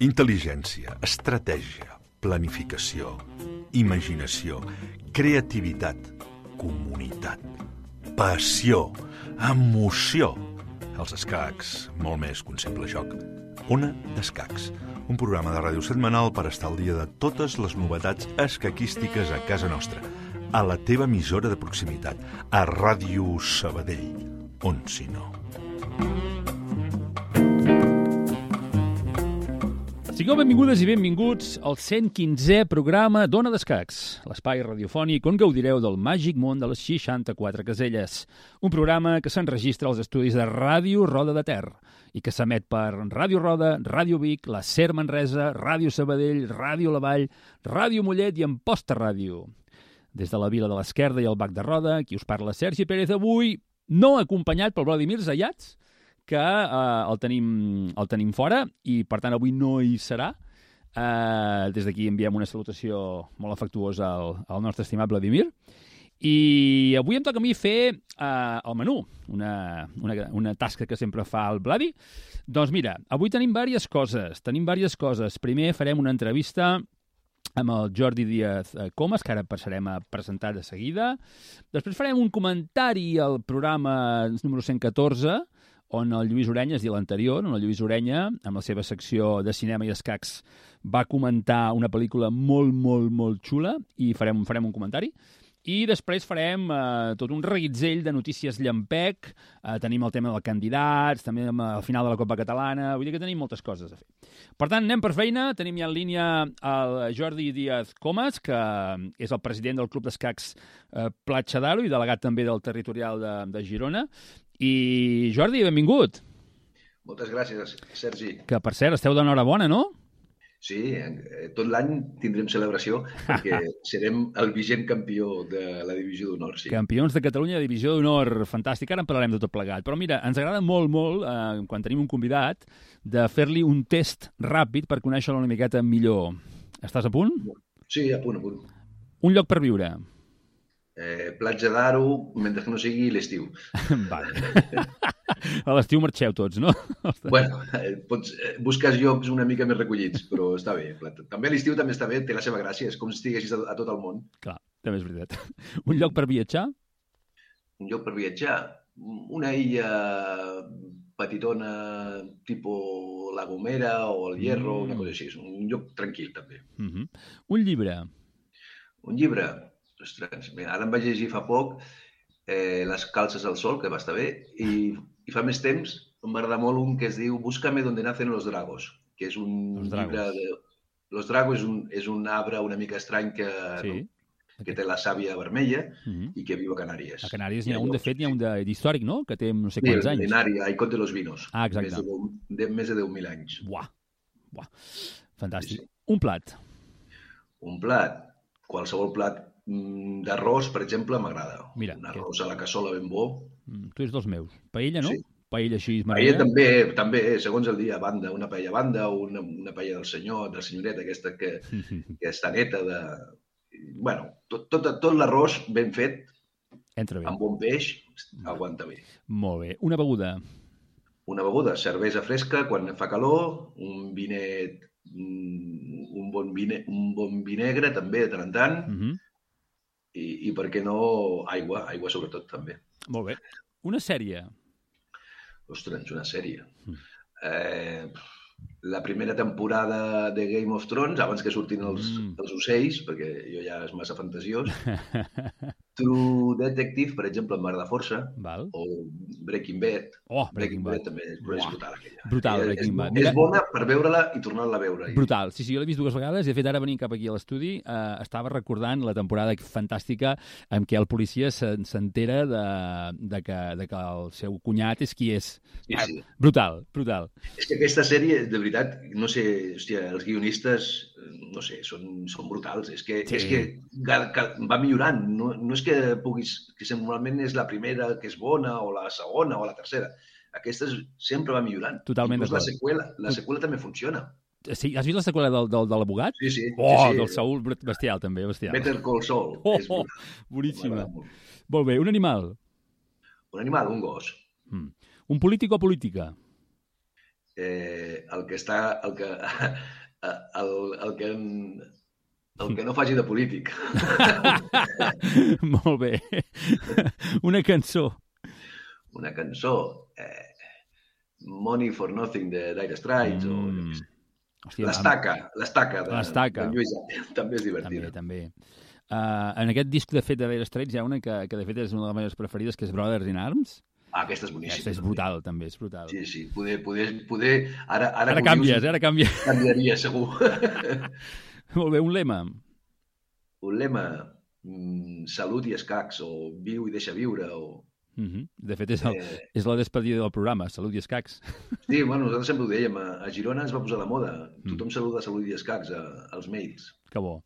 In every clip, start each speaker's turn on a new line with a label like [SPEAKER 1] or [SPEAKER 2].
[SPEAKER 1] Intel·ligència, estratègia, planificació, imaginació, creativitat, comunitat, passió, emoció. Els escacs, molt més que un simple joc. Ona d'Escacs, un programa de ràdio setmanal per estar al dia de totes les novetats escaquístiques a casa nostra, a la teva emissora de proximitat, a Ràdio Sabadell, on si no.
[SPEAKER 2] Sigueu benvingudes i benvinguts al 115è programa d'Ona d'Escacs, l'espai radiofònic on gaudireu del màgic món de les 64 caselles. Un programa que s'enregistra als estudis de Ràdio Roda de Ter i que s'emet per Ràdio Roda, Ràdio Vic, la SER Manresa, Ràdio Sabadell, Ràdio La Vall, Ràdio Mollet i Amposta Ràdio. Des de la Vila de l'Esquerda i el Bac de Roda, qui us parla Sergi Pérez, avui no acompanyat pel Vladimir Zayats, que el tenim fora i, per tant, avui no hi serà. Des d'aquí enviem una salutació molt afectuosa al nostre estimat Vladimir. I avui em toca a mi fer el menú, una tasca que sempre fa el Vladi. Doncs mira, avui tenim diverses coses. Primer farem una entrevista amb el Jordi Díaz Comas, que ara passarem a presentar de seguida. Després farem un comentari al programa número 114, on el Lluís Orenya, és a dir, l'anterior, on el Lluís Orenya, amb la seva secció de cinema i escacs, va comentar una pel·lícula molt, molt, molt xula i farem un comentari. I després farem tot un reguitzell de notícies llampec, tenim el tema dels candidats, també al final de la Copa Catalana, vull dir que tenim moltes coses a fer. Per tant, anem per feina, tenim ja en línia el Jordi Díaz Comas, que és el president del Club d'Escacs Platja d'Aro i delegat també del territorial de Girona. I Jordi, benvingut.
[SPEAKER 3] Moltes gràcies, Sergi.
[SPEAKER 2] Que, per cert, esteu d'enhorabona, no?
[SPEAKER 3] Sí, tot l'any tindrem celebració perquè serem el vigent campió de la Divisió d'Honor. Sí.
[SPEAKER 2] Campions de Catalunya de Divisió d'Honor, fantàstic. Ara en parlarem de tot plegat. Però mira, ens agrada molt, molt, quan tenim un convidat, de fer-li un test ràpid per conèixer-lo una miqueta millor. Estàs a punt?
[SPEAKER 3] Sí, a punt.
[SPEAKER 2] Un lloc per viure.
[SPEAKER 3] Platja d'Aro, mentre que no sigui l'estiu.
[SPEAKER 2] Vale. A l'estiu marxeu tots, no?
[SPEAKER 3] Bueno, busques llocs una mica més recollits, però està bé. També l'estiu també està bé, té la seva gràcia, és com si estiguessis a tot el món.
[SPEAKER 2] Clar, també és veritat. Un lloc per viatjar?
[SPEAKER 3] Un lloc per viatjar? Una illa petitona, tipus La Gomera o el Hierro, una cosa així. Un lloc tranquil, també.
[SPEAKER 2] Un llibre?
[SPEAKER 3] Un llibre? Ostres, ara em vaig llegir fa poc Les calces al sol, que va estar bé, i fa més temps em va agradar molt un que es diu Búscame donde nacen los dragos, que és un llibre de... Los dragos és un arbre una mica estrany que té la sàvia vermella i que viu a Canàries.
[SPEAKER 2] A Canàries n'hi ha un, de fet, n'hi ha un d'històric, no?, que té no sé quants anys.
[SPEAKER 3] Milenaria, Icot de los Vinos.
[SPEAKER 2] Ah, exacte.
[SPEAKER 3] Més de 10.000 anys.
[SPEAKER 2] Buah. Fantàstic. Sí. Un plat?
[SPEAKER 3] Un plat? Qualsevol plat d'arròs, per exemple, m'agrada.
[SPEAKER 2] Mira,
[SPEAKER 3] un arròs a la cassola ben bo.
[SPEAKER 2] Tu ets dels meus. Paella, no?
[SPEAKER 3] Sí.
[SPEAKER 2] Paella així
[SPEAKER 3] marinera. Paella també, segons el dia, a banda. Una paella a banda, una paella del senyoret, aquesta que està neta de... Bueno, tot l'arròs ben fet, amb bon peix, aguanta bé.
[SPEAKER 2] Molt bé. Una beguda?
[SPEAKER 3] Una beguda, cervesa fresca, quan fa calor, un vinet, un bon vi negre, també, de tant en tant, i per què no, aigua sobretot també.
[SPEAKER 2] Molt bé. Una sèrie?
[SPEAKER 3] Ostres, una sèrie. La primera temporada de Game of Thrones, abans que surtin els ocells, perquè jo ja és massa fantasiós. True Detective, per exemple, m'agrada força.
[SPEAKER 2] Val.
[SPEAKER 3] O Breaking Bad.
[SPEAKER 2] Oh, Breaking Bad.
[SPEAKER 3] També és brutal, aquella.
[SPEAKER 2] Brutal, Breaking Bad.
[SPEAKER 3] És bona per veure-la i tornar-la a veure.
[SPEAKER 2] Brutal. Sí, jo l'he vist 2 vegades i, de fet, ara venint cap aquí a l'estudi estava recordant la temporada fantàstica en què el policia s'entera de que el seu cunyat és qui és.
[SPEAKER 3] Sí.
[SPEAKER 2] Brutal.
[SPEAKER 3] És que aquesta sèrie, de veritat, no sé, hòstia, els guionistes, no sé, són brutals. És que va millorant. No és que normalment és la primera que és bona, o la segona, o la tercera. Aquesta sempre va millorant.
[SPEAKER 2] Totalment d'acord.
[SPEAKER 3] La seqüela també funciona.
[SPEAKER 2] Sí, has vist la seqüela de l'abogat?
[SPEAKER 3] Sí.
[SPEAKER 2] Del Saul, bestial, també, bestial.
[SPEAKER 3] Better Call Saul.
[SPEAKER 2] Boníssima. Molt bé, un animal?
[SPEAKER 3] Un animal, un gos.
[SPEAKER 2] Un polític o política?
[SPEAKER 3] el que està... El que no faci de polític.
[SPEAKER 2] Molt bé. Una cançó.
[SPEAKER 3] Una cançó. Money for Nothing de Dire Straits o...
[SPEAKER 2] Hòstia,
[SPEAKER 3] L'Estaca de Lluís Llach. També és divertida.
[SPEAKER 2] També. En aquest disc, de fet, de Dire Straits hi ha una que de fet és una de les meves preferides, que és Brothers in Arms.
[SPEAKER 3] Aquesta és boníssima.
[SPEAKER 2] Aquesta és brutal, també, és brutal.
[SPEAKER 3] Sí. Poder... Ara
[SPEAKER 2] canvies, ara canvies.
[SPEAKER 3] Canviaria, segur.
[SPEAKER 2] Molt bé, un lema.
[SPEAKER 3] Un lema, salut i escacs, o viu i deixa viure, o...
[SPEAKER 2] De fet, és la despedida del programa, salut i escacs.
[SPEAKER 3] Sí, bueno, nosaltres sempre ho dèiem, a Girona es va posar de moda. Tothom saluda salut i escacs als mails.
[SPEAKER 2] Que bo.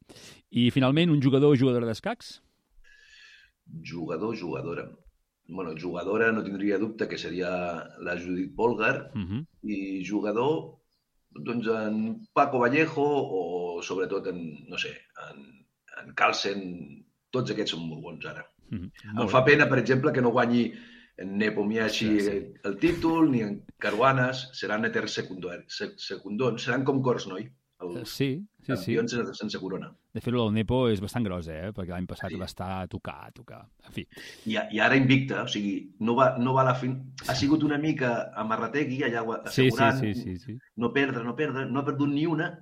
[SPEAKER 2] I, finalment, un jugador o jugadora d'escacs?
[SPEAKER 3] Jugador, jugadora. Bueno, jugadora no tindria dubte que seria la Judit Polgar, i jugador, doncs en Paco Vallejo o sobretot en Carlsen, tots aquests són molt bons ara. Em fa pena, per exemple, que no guanyi en Nepomniachtchi el títol, ni en Caruanas, seran eters secundons, seran com Korchnoi, els campions sense corona.
[SPEAKER 2] De fet, el Nepo és bastant gros, perquè l'any passat va estar a tocar. En fi.
[SPEAKER 3] I ara invicta, o sigui, no va a la fin... Ha sigut una mica amarrategui, allà assegurant, no perdre, no ha perdut ni una.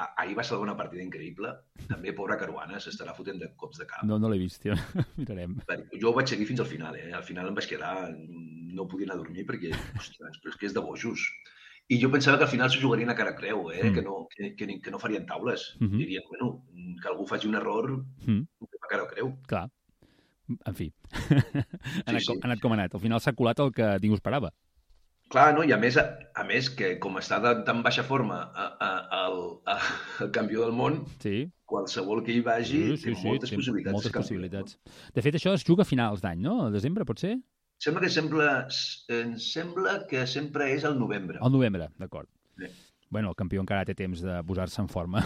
[SPEAKER 3] Ahir va ser una partida increïble. També, pobra Caruana, s'estarà fotent de cops de cap.
[SPEAKER 2] No l'he vist, tio. Mirarem.
[SPEAKER 3] Jo ho vaig seguir fins al final, Al final em vaig quedar... No podia anar a dormir perquè, ostres, però és que és de bojos. I jo pensava que al final s'ho jugarien a cara creu, que no farien taules. Dirien, bueno, que algú faci un error a cara creu.
[SPEAKER 2] Clar. En fi. Ha anat com ha anat. Al final s'ha colat el que ningú esperava.
[SPEAKER 3] Clar, no? I a més que com està de tan baixa forma el campió del món, qualsevol que hi vagi té moltes possibilitats.
[SPEAKER 2] Moltes possibilitats. De fet, això es juga a finals d'any, no? A desembre, potser?
[SPEAKER 3] Em sembla que sempre és al novembre.
[SPEAKER 2] Al novembre, d'acord. Bueno, el campió encara té temps de posar-se en forma.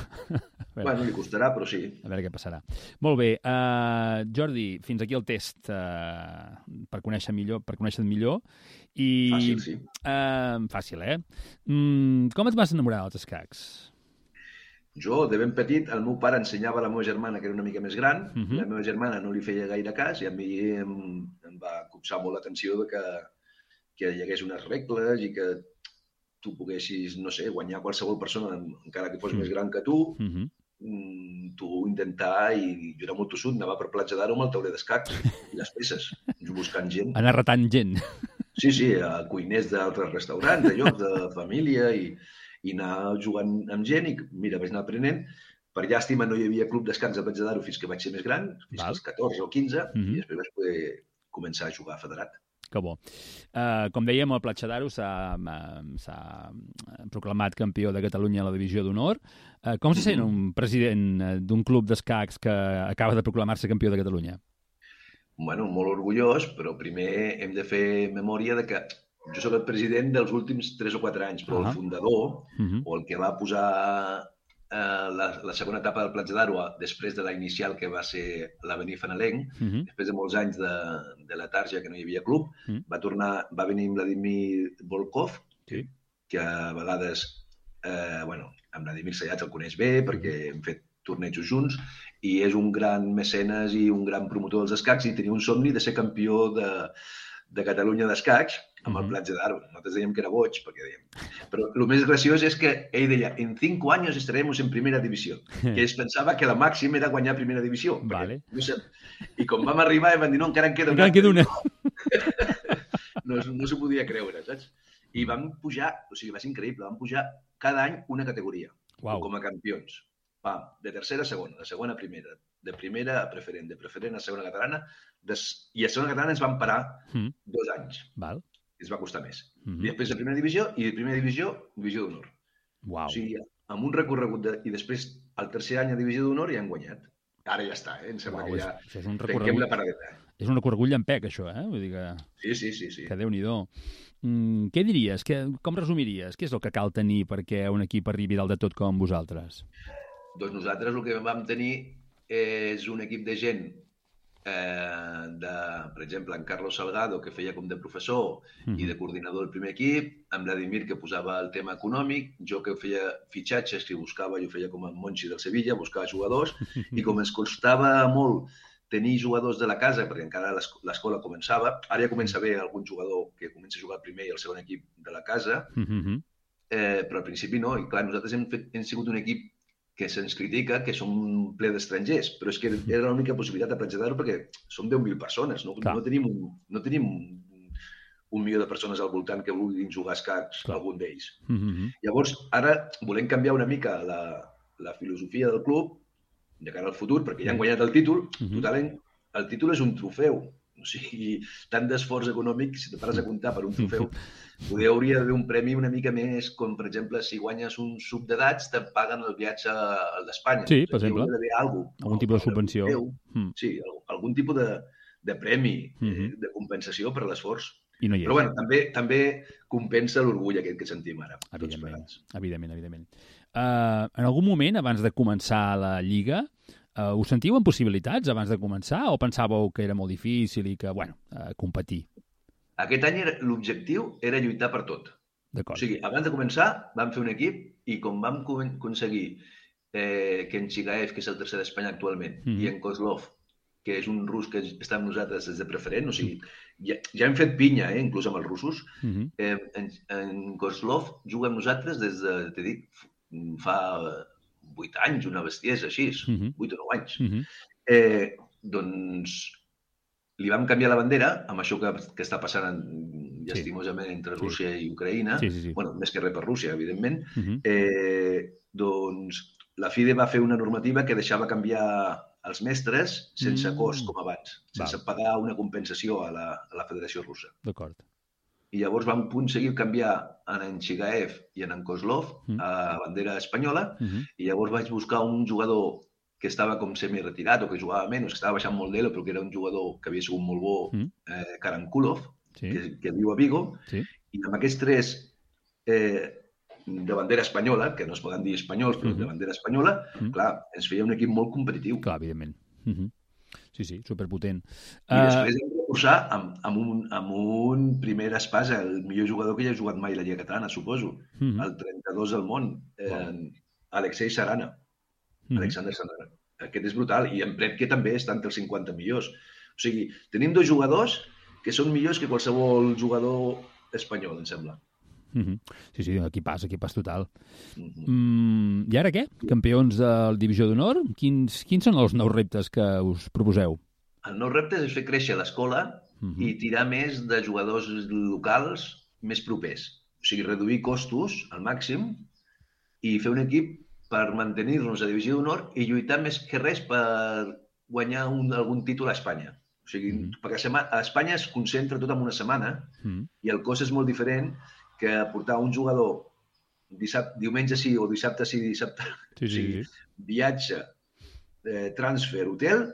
[SPEAKER 3] Bueno, li costarà, però sí.
[SPEAKER 2] A veure què passarà. Molt bé. Jordi, fins aquí el test per conèixer-te millor.
[SPEAKER 3] Fàcil, sí.
[SPEAKER 2] Fàcil, Com et vas enamorar dels escacs?
[SPEAKER 3] Jo, de ben petit, el meu pare ensenyava a la meva germana, que era una mica més gran, i la meva germana no li feia gaire cas, i a mi em va copsar molt l'atenció de que hi hagués unes regles i que tu poguessis, no sé, guanyar qualsevol persona, encara que fos més gran que tu, tu intentar, i jo era molt tossut, anava per Platja d'Aro amb el tauler d'escacs i les peces, buscant gent.
[SPEAKER 2] Anar retant gent.
[SPEAKER 3] Sí, a cuiners d'altres restaurants, de llocs, de família, i anar jugant amb gent, i mira, vaig anar aprenent. Per llàstima no hi havia club d'escacs a Platja d'Aro fins que vaig ser més gran, fins als 14 o 15, i després vaig poder començar a jugar federat.
[SPEAKER 2] Que bo. Com dèiem, el Platja d'Aro s'ha proclamat campió de Catalunya a la divisió d'honor. Com se sent un president d'un club d'escacs que acaba de proclamar-se campió de Catalunya?
[SPEAKER 3] Bueno, molt orgullós, però primer hem de fer memòria de que jo soc el president dels últims 3 o 4 anys, però el fundador, o el que va posar la segona etapa del Platja d'Aro després de la inicial, que va ser l'Avenir Fanalenc, després de molts anys de la Tarja, que no hi havia club, va venir Vladimir Volkov, que a vegades, amb Vladimir Sayats el coneix bé, perquè hem fet tornejos junts, i és un gran mecenes i un gran promotor dels escacs, i tenia un somni de ser campió de Catalunya d'escacs amb el Platja d'Aro. Nosaltres dèiem que era boig, perquè dèiem... Però el més graciós és que ell deia, en 5 anys estaremos en primera divisió. Que es pensava que la màxima era guanyar primera divisió.
[SPEAKER 2] Vale.
[SPEAKER 3] I com vam arribar, vam dir, no, encara en queda una. No s'ho podia creure, saps? I vam pujar, o sigui, va ser increïble, vam pujar cada any una categoria, com a campions. De tercera a segona, de segona a primera, de primera a preferent, de preferent a segona catalana, i a segona catalana ens van parar 2 anys.
[SPEAKER 2] Val.
[SPEAKER 3] I es va costar més. I després de primera divisió, i de primera divisió, divisió d'honor.
[SPEAKER 2] Uau.
[SPEAKER 3] O sigui, amb un recorregut, i després, el tercer any a divisió d'honor, ja han guanyat. Ara ja està, Em sembla que ja tanquem la paradeta.
[SPEAKER 2] És un recorregut llampec, això, Vull dir que...
[SPEAKER 3] Sí.
[SPEAKER 2] Que Déu-n'hi-do. Què diries? Com resumiries? Què és el que cal tenir perquè un equip arribi dalt de tot com vosaltres?
[SPEAKER 3] Doncs nosaltres el que vam tenir és un equip de gent per exemple, en Carlos Salgado, que feia com de professor i de coordinador del primer equip, en Vladimir, que posava el tema econòmic, jo que feia fitxatges, que buscava, jo feia com a Monchi del Sevilla, buscava jugadors, i com ens costava molt tenir jugadors de la casa, perquè encara l'escola començava, ara ja comença a haver algun jugador que comença a jugar el primer i el segon equip de la casa, però al principi no, i clar, nosaltres hem sigut un equip que se'ns critica, que som ple d'estrangers, però és que era l'única possibilitat de Platja d'Aro perquè som 10.000 persones, no tenim un milió de persones al voltant que vulguin jugar a escacs, algun d'ells. Llavors, ara volem canviar una mica la filosofia del club de cara al futur, perquè ja han guanyat el títol, totalment, el títol és un trofeu, o sigui, tant d'esforç econòmic, si te pares a comptar per un trofeu, poder hauria d'haver un premi una mica més, com per exemple, si guanyes un sub d'edats, te paguen el viatge al d'Espanya.
[SPEAKER 2] Sí, per exemple.
[SPEAKER 3] Hauria d'haver
[SPEAKER 2] algun tipus de subvenció.
[SPEAKER 3] Sí, algun tipus de premi, de compensació per l'esforç.
[SPEAKER 2] I no hi és.
[SPEAKER 3] Però bueno, també compensa l'orgull aquest que sentim ara.
[SPEAKER 2] Evidentment. En algun moment, abans de començar la Lliga, us sentiu en possibilitats abans de començar o pensàveu que era molt difícil i que, competir?
[SPEAKER 3] Aquest any l'objectiu era lluitar per tot.
[SPEAKER 2] D'acord.
[SPEAKER 3] O sigui, abans de començar vam fer un equip i com vam aconseguir que en Chigaev, que és el tercer d'Espanya actualment, i en Kozlov, que és un rus que està amb nosaltres des de preferent, o sigui, ja hem fet pinya, inclús amb els russos. En Kozlov juga amb nosaltres des de, t'he dit, fa 8 anys, una bestiesa així, 8 o 9 anys. Doncs li vam canviar la bandera, amb això que està passant llastimosament entre Rússia i Ucraïna, bueno, més que res per Rússia, evidentment, doncs la FIDE va fer una normativa que deixava canviar els mestres sense cost, com abans, sense pagar una compensació a la Federació Russa.
[SPEAKER 2] D'acord.
[SPEAKER 3] I llavors vam aconseguir canviar en Chigaev i en Kozlov a bandera espanyola, i llavors vaig buscar un jugador que estava com semi-retirat o que jugava menys, que estava baixant molt d'elo, però que era un jugador que havia sigut molt bo, Karankulov, que viu a Vigo, i amb aquests tres de bandera espanyola, que no es poden dir espanyols, però de bandera espanyola, clar, ens feia un equip molt competitiu.
[SPEAKER 2] Clar, evidentment. Sí, superpotent.
[SPEAKER 3] I després hem de reforçar amb un primer espasa, el millor jugador que hi ha jugat mai a la Lliga Catalana, suposo, el 32 del món, Alexei Sarana. Alexander Sarana. Aquest és brutal. I en Pretke també està entre els 50 millors. O sigui, tenim 2 jugadors que són millors que qualsevol jugador espanyol, em sembla.
[SPEAKER 2] Sí, equipàs total. I ara què? Campions de la Divisió d'Honor? Quins són els nous reptes que us proposeu?
[SPEAKER 3] El nou repte és fer créixer l'escola i tirar més de jugadors locals més propers. O sigui, reduir costos al màxim i fer un equip per mantenir-nos a Divisió d'Honor i lluitar més que res per guanyar algun títol a Espanya. O sigui, perquè a Espanya es concentra tot en una setmana i el cost és molt diferent que portar un jugador diumenge sí o dissabte sí, dissabte. O sigui, viatge, transfer, hotel,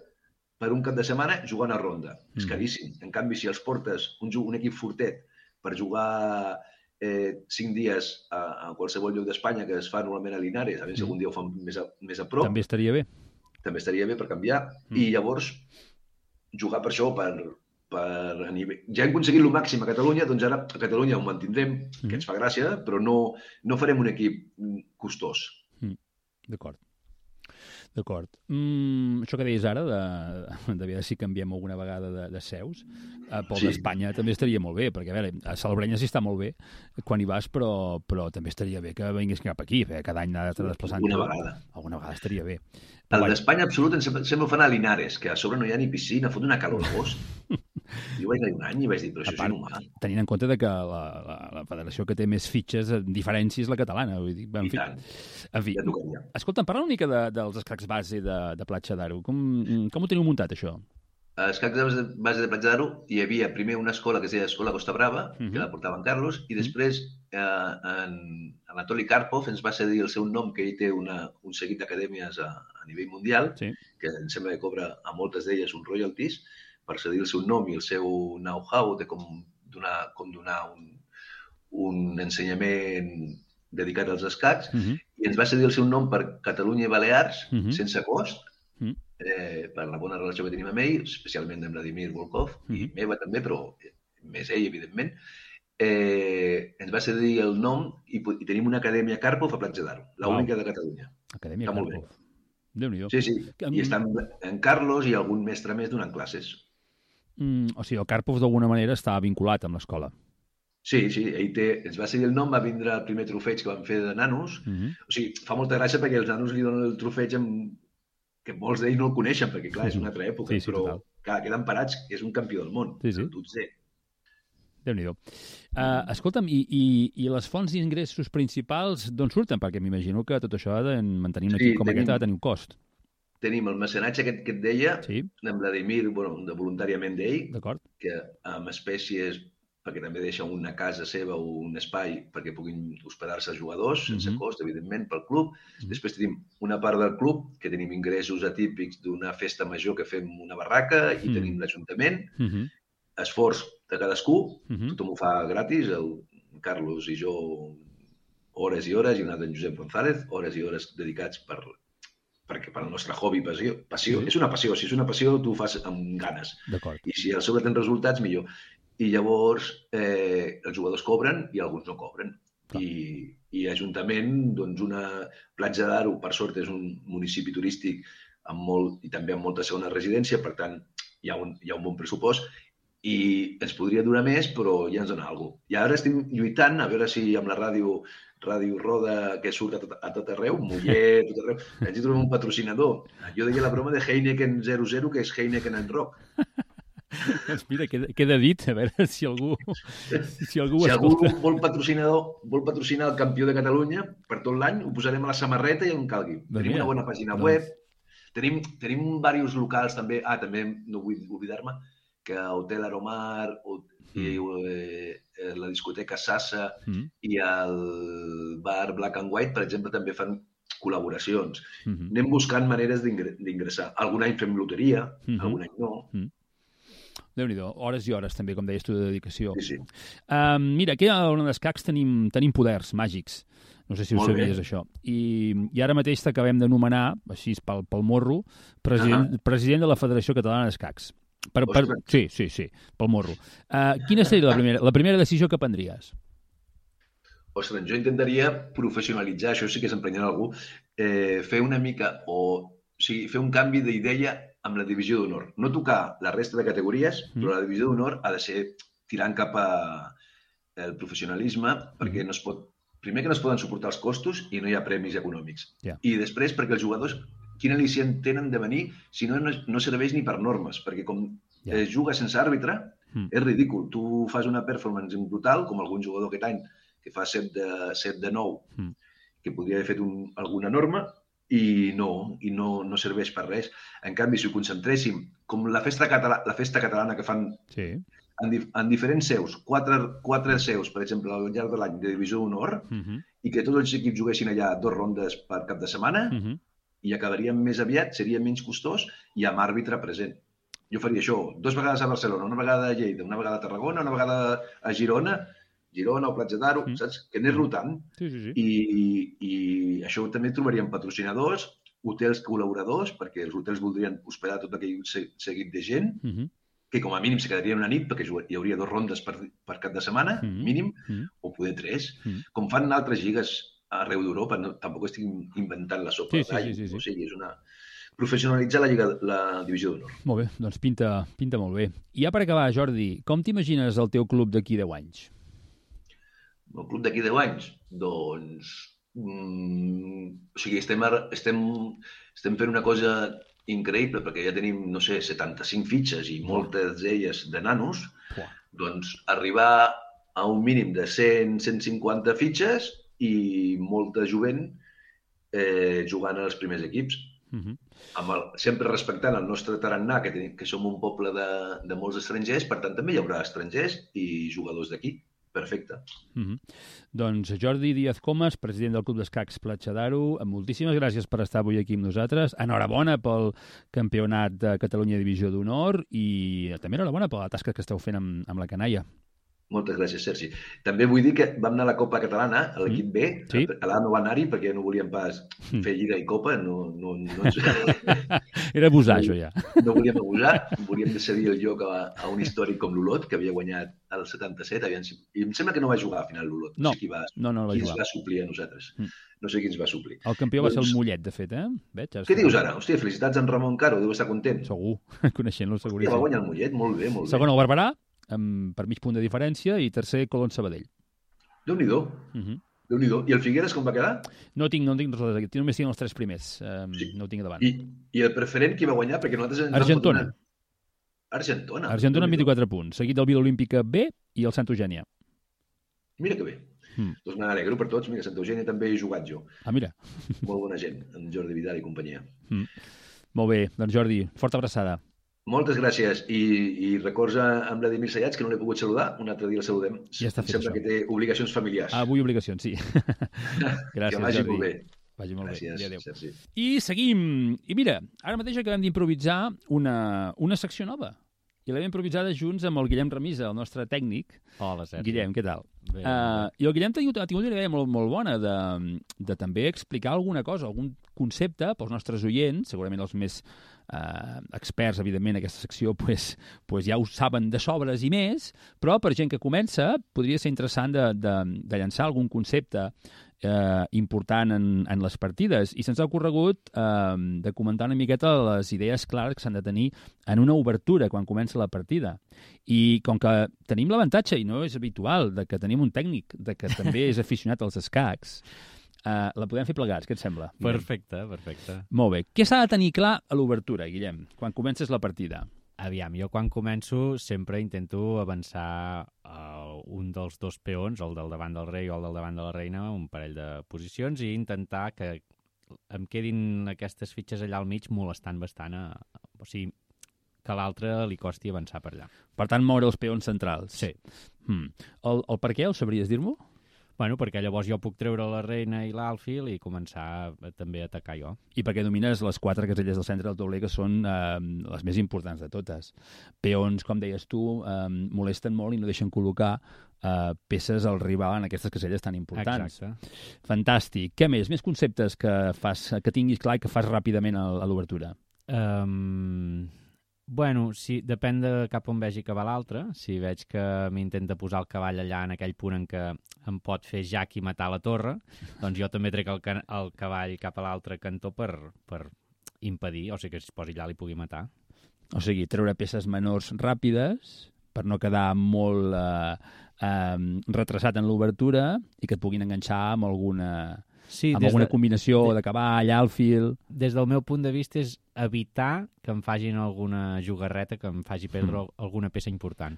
[SPEAKER 3] per un cap de setmana jugant a ronda. És caríssim. En canvi, si els portes un equip fortet per jugar 5 dies a qualsevol lloc d'Espanya, que es fa normalment a Linares, a veure si algun dia ho fan més a prop.
[SPEAKER 2] També estaria bé.
[SPEAKER 3] També estaria bé per canviar. I llavors, jugar per això, a nivell... Ja hem aconseguit el màxim a Catalunya, doncs ara a Catalunya ho mantindrem, que ens fa gràcia, però no farem un equip costós.
[SPEAKER 2] D'acord. Això que deies ara, de veure si canviem alguna vegada de seus, pel d'Espanya també estaria molt bé, perquè a veure, a Salobreña sí està molt bé quan hi vas, però també estaria bé que vingués cap aquí, cada any anar desplaçant. Alguna vegada estaria bé.
[SPEAKER 3] El d'Espanya absolut em sembla fan a Linares, que a sobre no hi ha ni piscina, fot una calor l'agost. Jo vaig anar un any i vaig dir, però això és inhumà.
[SPEAKER 2] Tenint en compte que la federació que té més fitxes diferència és la catalana. Vull dir,
[SPEAKER 3] en fi,
[SPEAKER 2] escolta'm, parla una mica dels escacs base de Platja d'Aro. Com ho teniu muntat, això?
[SPEAKER 3] A escacs base de Platja d'Aro hi havia primer una escola que es deia Escola Costa Brava, que la portava en Carlos, i després Anatoli Karpov ens va cedir el seu nom, que ell té un seguit d'acadèmies a nivell mundial, que em sembla que cobra a moltes d'elles un royalties, per cedir el seu nom i el seu know-how de com donar un ensenyament dedicat als escacs, i ens va cedir el seu nom per Catalunya i Balears, sense cost, per la bona relació que tenim amb ell, especialment amb Vladimir Volkov, i meva també, però més ell, evidentment, ens va cedir el nom i tenim una acadèmia Karpov a Platja d'Aro, l'única de Catalunya.
[SPEAKER 2] Acadèmia Karpov. Déu-n'hi-do.
[SPEAKER 3] Sí. I està en Carlos i algun mestre més donant classes.
[SPEAKER 2] O sigui, el Karpov d'alguna manera està vinculat amb l'escola.
[SPEAKER 3] Sí, ell ens va cedir el nom, va vindre el primer trofeig que van fer de nanos. O sigui, fa molta gràcia perquè els nanos li donen el trofeig que molts d'ells no el coneixen, perquè clar, és una altra època, però clar, queden parats, és un campió del món, el 12è.
[SPEAKER 2] Déu-n'hi-do. Escolta'm, i les fonts d'ingressos principals d'on surten? Perquè m'imagino que tot això de mantenir un equip com aquest ha de tenir un cost.
[SPEAKER 3] Tenim el mecenatge que et deia, en Vladimir, voluntàriament d'ell, que amb espècies, perquè també deixa una casa seva o un espai perquè puguin hospedar-se jugadors, sense cost, evidentment, pel club. Després tenim una part del club, que tenim ingressos atípics d'una festa major que fem una barraca, i tenim l'Ajuntament, esforç de cadascú, tothom ho fa gratis, el Carlos i jo hores i hores, i un altre en Josep González, hores i hores dedicats perquè per al nostre hobby, passió. És una passió, si és una passió tu ho fas amb ganes. I si a sobre tens resultats, millor. I llavors els jugadors cobren i alguns no cobren. I Ajuntament, doncs una Platja d'Aro, per sort, és un municipi turístic i també amb molta segona residència, per tant, hi ha un bon pressupost i ens podria donar més, però ja ens dona alguna cosa. I ara estem lluitant, a veure si amb la ràdio Roda, que surt a tot arreu, Muller, tot arreu, ens hi trobem un patrocinador. Jo deia la broma de Heineken 00, que és Heineken en rock.
[SPEAKER 2] Doncs mira, queda dit, a veure si algú
[SPEAKER 3] Si algú vol patrocinar el campió de Catalunya per tot l'any, ho posarem a la samarreta i on calgui. Tenim una bona pàgina web, tenim diversos locals també, també no vull oblidar-me, que Hotel Aromar, la discoteca Sassa i el bar Black and White, per exemple, també fan col·laboracions. Anem buscant maneres d'ingressar. Algun any fem loteria, algun any no.
[SPEAKER 2] Déu-n'hi-do, hores i hores també, com deies tu, de dedicació.
[SPEAKER 3] Sí.
[SPEAKER 2] Mira, aquí a l'Ona d'Escacs tenim poders màgics. No sé si ho sabies, això. I ara mateix t'acabem de nomenar, així pel morro, president de la Federació Catalana d'Escacs. Sí, pel morro. Quina seria la primera decisió que prendries?
[SPEAKER 3] Ostres, jo intentaria professionalitzar, això sí que s'emprenyarà algú, fer una mica, fer un canvi d'idea amb la divisió d'honor. No tocar la resta de categories, però la divisió d'honor ha de ser tirant cap al professionalisme, perquè primer que no es poden suportar els costos i no hi ha premis econòmics. I després perquè els jugadors, quin al·licient tenen de venir si no serveix ni per normes, perquè com es juga sense àrbitre, és ridícul. Tu fas una performance brutal, com algun jugador aquest any, que fa 7 de 9, que podria haver fet alguna norma, i no serveix per res. En canvi, si ho concentréssim, com la festa catalana que fan en diferents seus, 4 seus, per exemple, al llarg de l'any de divisió d'honor, i que tots els equips juguessin allà 2 rondes per cap de setmana, i acabaríem més aviat, seria menys costós i amb àrbitre present. Jo faria això 2 vegades a Barcelona, una vegada a Lleida, una vegada a Tarragona, una vegada a Girona o Platja d'Aro, saps? Que anés rotant. I això també trobaríem patrocinadors, hotels col·laboradors, perquè els hotels voldrien hospedar tot aquell seguit de gent, que com a mínim se quedarien una nit, perquè hi hauria 2 rondes per cap de setmana, mínim, o poder 3, com fan altres lligues arreu d'Europa. Tampoc estic inventant la sopa d'all. O sigui, és una... professionalitzar la divisió d'honor.
[SPEAKER 2] Molt bé, doncs pinta molt bé. I ja per acabar, Jordi, com t'imagines el teu club d'aquí 10 anys?
[SPEAKER 3] El club d'aquí 10 anys? Doncs... estem fent una cosa increïble, perquè ja tenim, 75 fitxes i moltes d'elles de nanos, doncs arribar a un mínim de 100-150 fitxes i molta jovent jugant als primers equips. Sempre respectant el nostre tarannà, que som un poble de molts estrangers, per tant també hi haurà estrangers i jugadors d'aquí. Perfecte.
[SPEAKER 2] Doncs Jordi Díaz Comas, president del Club d'Escacs Platja d'Aro, moltíssimes gràcies per estar avui aquí amb nosaltres. Enhorabona pel Campionat de Catalunya Divisió d'Honor i també enhorabona per la tasca que esteu fent amb la canalla.
[SPEAKER 3] Moltes gràcies, Sergi. També vull dir que vam anar a la Copa Catalana, a l'equip B.
[SPEAKER 2] Sí.
[SPEAKER 3] Allà no va anar-hi perquè no volíem pas fer Lliga i Copa. No
[SPEAKER 2] Era abusar, això, ja.
[SPEAKER 3] No volíem abusar. Volíem cedir el lloc a un històric com l'Olot, que havia guanyat el 77. I em sembla que no va jugar al final l'Olot.
[SPEAKER 2] No,
[SPEAKER 3] sé qui va
[SPEAKER 2] va
[SPEAKER 3] qui
[SPEAKER 2] jugar.
[SPEAKER 3] ens va suplir a nosaltres. No sé qui ens va suplir.
[SPEAKER 2] El campió va ser el Mollet, de fet, Veig,
[SPEAKER 3] Què dius ara? Hòstia, felicitats a en Ramon Caro, deu estar content.
[SPEAKER 2] Segur, coneixent-lo,
[SPEAKER 3] Hòstia,
[SPEAKER 2] seguríssim.
[SPEAKER 3] va guanyar el Mollet, molt bé, molt bé.
[SPEAKER 2] Segon, el Barberà, per mig punt de diferència, i tercer, Colón Sabadell.
[SPEAKER 3] Déu-n'hi-do. Déu-n'hi-do. I el Figueres com va quedar?
[SPEAKER 2] No tinc res aquí. Només tinc els 3 primers. No ho tinc davant.
[SPEAKER 3] I el preferent qui va guanyar? Perquè nosaltres
[SPEAKER 2] Argentona.
[SPEAKER 3] Argentona.
[SPEAKER 2] Argentona amb 24 punts, seguit del Vila Olímpica B i el Santa Eugènia.
[SPEAKER 3] Mira que bé. Doncs me n'alegro per tots. Mira, Santa Eugènia també he jugat jo.
[SPEAKER 2] Ah, mira.
[SPEAKER 3] Molt bona gent, en Jordi Vidal i companyia.
[SPEAKER 2] Molt bé, doncs Jordi, forta abraçada.
[SPEAKER 3] Moltes gràcies. I records a Vladimir Sayats, que no l'he pogut saludar. Un altre dia el saludem.
[SPEAKER 2] Ja està fet,
[SPEAKER 3] Sembla
[SPEAKER 2] això.
[SPEAKER 3] que té obligacions familiars.
[SPEAKER 2] Avui obligacions, sí. Gràcies,
[SPEAKER 3] que vagi
[SPEAKER 2] Jordi.
[SPEAKER 3] molt bé.
[SPEAKER 2] Vagi molt
[SPEAKER 3] Gràcies,
[SPEAKER 2] bé. Adéu.
[SPEAKER 3] Sergi.
[SPEAKER 2] I seguim. I mira, ara mateix acabem d'improvisar una secció nova. I l'hem improvisada junts amb el Guillem Remisa, el nostre tècnic.
[SPEAKER 4] Hola, Sergi.
[SPEAKER 2] Guillem, què tal?
[SPEAKER 4] Bé,
[SPEAKER 2] I el Guillem ha tingut una idea molt bona de també explicar alguna cosa, algun concepte pels nostres oients, segurament els més experts, evidentment, en aquesta secció pues ja ho saben de sobres i més, però per gent que comença podria ser interessant de llançar algun concepte important en les partides. I se'ns ha ocorregut de comentar una miqueta les idees clares que s'han de tenir en una obertura quan comença la partida. I com que tenim l'avantatge, i no és habitual, de que tenim un tècnic de que també és aficionat als escacs, la podem fer plegats, què et sembla?
[SPEAKER 4] Perfecte, perfecte.
[SPEAKER 2] Molt bé. Què s'ha de tenir clar a l'obertura, Guillem, quan comences la partida?
[SPEAKER 4] Aviam, jo quan començo sempre intento avançar un dels dos peons, el del davant del rei o el del davant de la reina, un parell de posicions, i intentar que em quedin aquestes fitxes allà al mig molestant bastant, o sigui, que a l'altre li costi avançar per allà.
[SPEAKER 2] Per tant, moure els peons centrals.
[SPEAKER 4] Sí.
[SPEAKER 2] El per què, ho sabries dir-m'ho?
[SPEAKER 4] Bueno, perquè llavors jo puc treure la reina i l'alfil i començar també a atacar jo.
[SPEAKER 2] I perquè domines les 4 caselles del centre del tauler, que són les més importants de totes. Peons, com deies tu, molesten molt i no deixen col·locar peces al rival en aquestes caselles tan importants.
[SPEAKER 4] Exacte.
[SPEAKER 2] Fantàstic. Què més? Més conceptes que tinguis clar i que fas ràpidament a l'obertura?
[SPEAKER 4] Bueno, sí, depèn de cap on vegi que va l'altre. Si veig que m'intenta posar el cavall allà en aquell punt en què em pot fer jack i matar la torre, doncs jo també trec el cavall cap a l'altre cantó per impedir, o sigui que si es posi allà li pugui matar.
[SPEAKER 2] O sigui, treure peces menors ràpides per no quedar molt retrasat en l'obertura i que et puguin enganxar amb alguna combinació de cavall, alfil...
[SPEAKER 4] Des del meu punt de vista és evitar que em fagin alguna jugarreta que em faci perdre alguna peça important.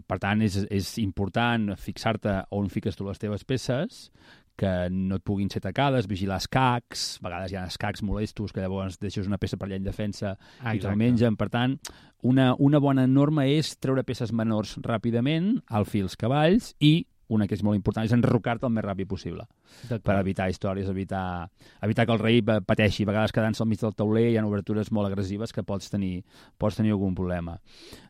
[SPEAKER 2] Per tant, és important fixar-te on fiques tu les teves peces, que no et puguin ser tacades, vigilar escacs, a vegades hi ha escacs molestos que llavors deixes una peça per allà en defensa i te'l mengen. Per tant, una bona norma és treure peces menors ràpidament, alfils, cavalls, i una que és molt important, és enrocar-te el més ràpid possible per evitar històries, evitar que el rei pateixi. A vegades quedant-se al mig del tauler hi ha obertures molt agressives que pots tenir algun problema.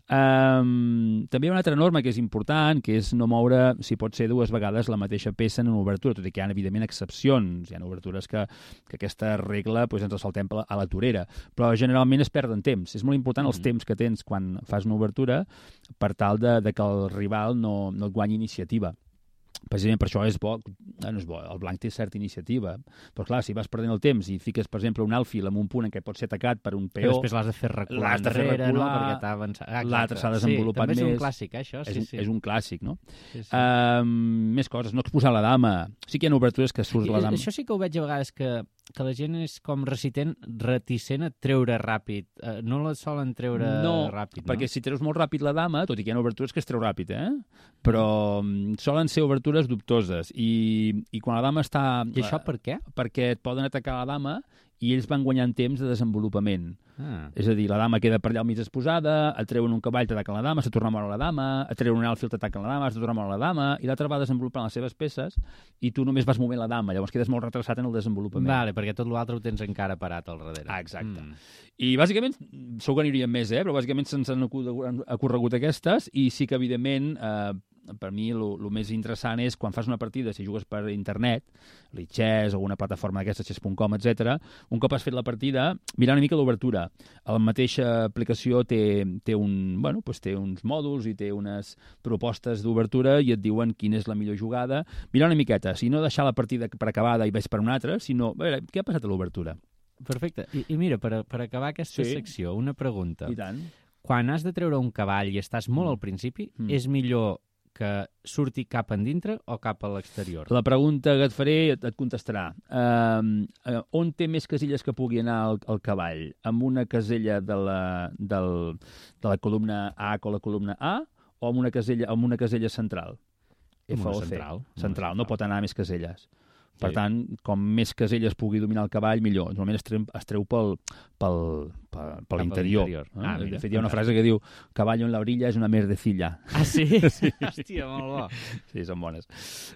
[SPEAKER 2] També hi ha una altra norma que és important, que és no moure, si pot ser 2 vegades, la mateixa peça en una obertura, tot i que hi ha, evidentment, excepcions. Hi ha obertures que aquesta regla ens la saltem a la torera, però generalment es perden temps. És molt important els temps que tens quan fas una obertura per tal de que el rival no et guanyi iniciativa. Precisament per això és bo, el blanc té certa iniciativa, però clar, si vas perdent el temps i fiques, per exemple, un alfil en un punt en què pot ser atacat per un peó...
[SPEAKER 4] Que després l'has de fer recular enrere, no? Perquè t'ha avançat.
[SPEAKER 2] L'altre s'ha desenvolupat més.
[SPEAKER 4] Sí, també és un clàssic, això.
[SPEAKER 2] És un clàssic, no?
[SPEAKER 4] Sí.
[SPEAKER 2] Més coses, no exposar la dama. Sí que hi ha obertures que surt la dama.
[SPEAKER 4] Això sí que ho veig a vegades, que la gent és com reticent a treure ràpid. No la solen treure ràpid, no?
[SPEAKER 2] Perquè si treus molt ràpid la dama, tot i que hi ha obertures que es treu ràpid, però solen ser obertures dubtoses. I quan la dama està...
[SPEAKER 4] I això per què?
[SPEAKER 2] Perquè et poden atacar la dama i ells van guanyant temps de desenvolupament. És a dir, la dama queda per allà al mig exposada, et treuen un cavall, t'ataquen la dama, se torna a moure la dama, et treuen un alfil, t'ataquen la dama, se torna a moure la dama, i l'altre va desenvolupant les seves peces i tu només vas movent la dama, llavors quedes molt retrasat en el desenvolupament.
[SPEAKER 4] Vale, perquè tot l'altre ho tens encara parat al darrere.
[SPEAKER 2] Exacte. I bàsicament, segur que n'hi hauria més, però bàsicament se'ns han ocorregut aquestes, i sí que, evidentment, per mi el més interessant és quan fas una partida, si jugues per internet, l'Itxès o una plataforma d'aquesta, chess.com, etc. Un cop has fet la partida, mirar una mica l'obertura. La mateixa aplicació té uns mòduls i té unes propostes d'obertura i et diuen quina és la millor jugada. Mirar una miqueta, si no deixar la partida per acabada i ves per una altra, sinó, a veure, què ha passat a l'obertura?
[SPEAKER 4] Perfecte. I mira, per acabar aquesta secció, una pregunta.
[SPEAKER 2] I tant.
[SPEAKER 4] Quan has de treure un cavall i estàs molt al principi, és millor que surti cap endintre o cap a l'exterior?
[SPEAKER 2] La pregunta que et faré et contestarà. On té més casilles que pugui anar el cavall? Amb una casella de la columna A o la columna A o amb una casella central? F o C. Central. No pot anar a més caselles. Per tant, com més caselles pugui dominar el cavall, millor. Normalment es treu per l'interior. De fet, hi ha una frase que diu «Caballo en la orilla és una merdecilla».
[SPEAKER 4] Ah, sí? Sí. Hòstia, molt bo.
[SPEAKER 2] Sí, són bones.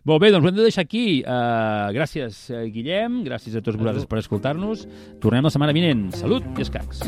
[SPEAKER 2] Molt bé, doncs ho hem de deixar aquí. Gràcies, Guillem. Gràcies a tots vosaltres per escoltar-nos. Tornem la setmana vinent. Salut i escacs.